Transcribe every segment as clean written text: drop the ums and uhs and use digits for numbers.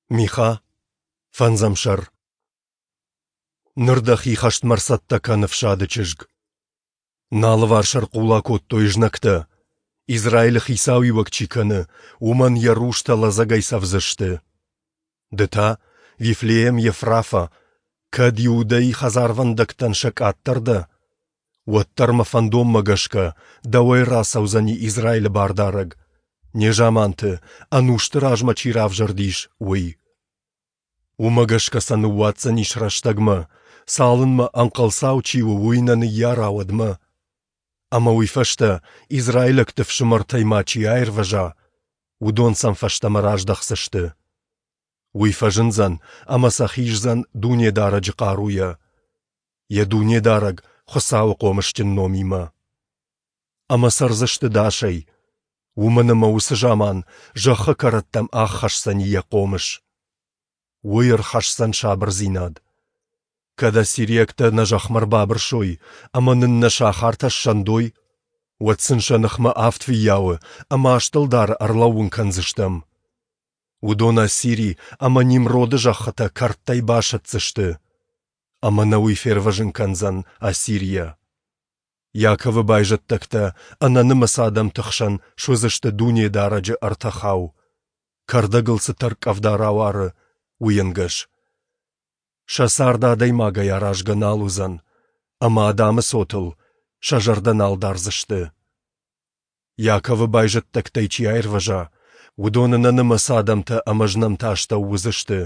Миха, фӕндзӕм сӕр. Ныр дӕхи хӕстмӕ ӕрцӕттӕ кӕн, ӕфсады чызг. Нӕ алыварс ӕрхъула кодтой знӕгтӕ. Израилы хицауиуӕг чи кӕны, уымӕн йӕ рустӕ лӕдзӕгӕй цӕвдзысты. Ды та, Вифлеем Ефрафа, кӕд Иудӕйы хӕдзарвӕндӕгтӕн сӕ къаддӕр дӕ, уӕддӕр мӕ фӕндонмӕ гӕсгӕ дӕуӕй рацӕудзӕни Израилы бардарӕг, незаманты, ӕнусты размӕ чи равзӕрдис, уый. Уымӕ гӕсгӕ сӕ ныууадздзӕнис рӕстӕгмӕ, цалынмӕ ӕнхъӕлцау чи у, уый нӕ ныййара, уӕдмӕ. Ӕмӕ уый фӕстӕ израилӕгты фсымӕртӕй ма чи аирвӕза, уыдон сӕм фӕстӕмӕ раздӕхдзысты. Уый фӕзындзӕн ӕмӕ сӕ хиздзӕн Дунедарӕджы хъаруйӕ, йӕ Дунедарӕг Хуыцауы хъомысджын номимӕ. Ӕмӕ цӕрдзысты дӕсӕй, уымӕн ӕмӕ уыцы заман зӕххы кӕрӕттӕм аххӕсдзӕни йӕ хъомыс. Уый ӕрхӕсдзӕн сабырдзинад. Кӕд ассириӕгтӕ нӕ зӕхмӕ ӕрбабырсой ӕмӕ нын нӕ сахартӕ ссӕндой, уӕд сын сӕ ныхмӕ авд фыййауы ӕмӕ аст ӕлдары ӕрлӕууын кӕндзыстӕм. Уыдон Ассири ӕмӕ Нимроды зӕххытӕ кӕрдтӕй басӕтдзысты, ӕмӕ нӕ уый фервӕзын кӕндзӕн Ассирийӕ. Иаковы байзӕддӕгтӕ ӕнӕнымӕц адӕмты хсӕн суыдзысты Дунедарӕджы ӕртӕхау, кӕрдӕгыл цы тӕрккъӕвда рауары, уый ӕнгӕс. Сӕ цард адӕймагӕй аразгӕ нал уыдзӕн, ӕмӕ адӕмы цотыл сӕ зӕрдӕ нал дардзысты. Иаковы байзӕддӕгтӕй чи аирвӕза, уыдон ӕнӕнымӕц адӕмтӕ ӕмӕ знӕмты астӕу уыдзысты.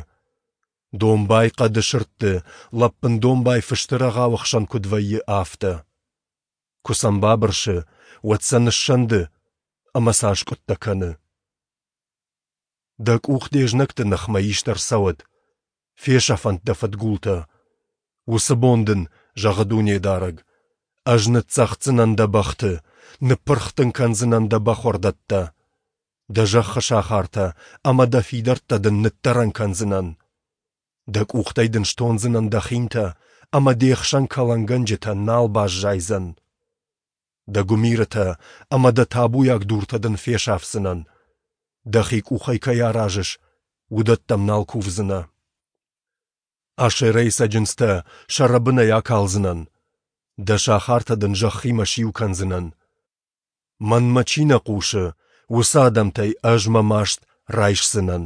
Домбай хъӕды сырдты, лӕппын домбай фысты рӕгъауы хсӕн куыд вӕййы, афтӕ. Куы сӕм бабырсы, уӕд сӕ ныссӕнды ӕмӕ сӕ аскъуыдтӕ кӕны. Дӕ къух де знӕгты ныхмӕ ист ӕрцӕуӕд, фесӕфӕнт дӕ фыдгултӕ. Уыцы бон дын, зӕгъы Дунедарӕг, ӕз ныццӕгъддзынӕн дӕ бӕхты, ныппырх дын кӕндзынӕн дӕ бӕхуӕрдӕттӕ. Дӕ зӕххы сахартӕ ӕмӕ дӕ фидӕрттӕ дын ныддӕрӕн кӕндзынӕн. Дӕ къухтӕй дын стондзынӕн дӕ хинтӕ, ӕмӕ де хсӕн кӕлӕнгӕнджытӕ нал баззайдзӕн. Дӕ гуымирытӕ ӕмӕ дӕ табуйаг дуртӕ дын фесафдзынӕн. Дӕхи къухӕй кӕй аразыс, уыдӕттӕм нал кувдзынӕ. Ашерӕйы цӕджындзтӕ сӕ рӕбынӕй акалдзынӕн. Дӕ сахартӕ дын зӕххимӕ сиу кӕндзынӕн. Мӕнмӕ чи нӕ хъусы, уыцы адӕмтӕй ӕз мӕ маст райсдзынӕн.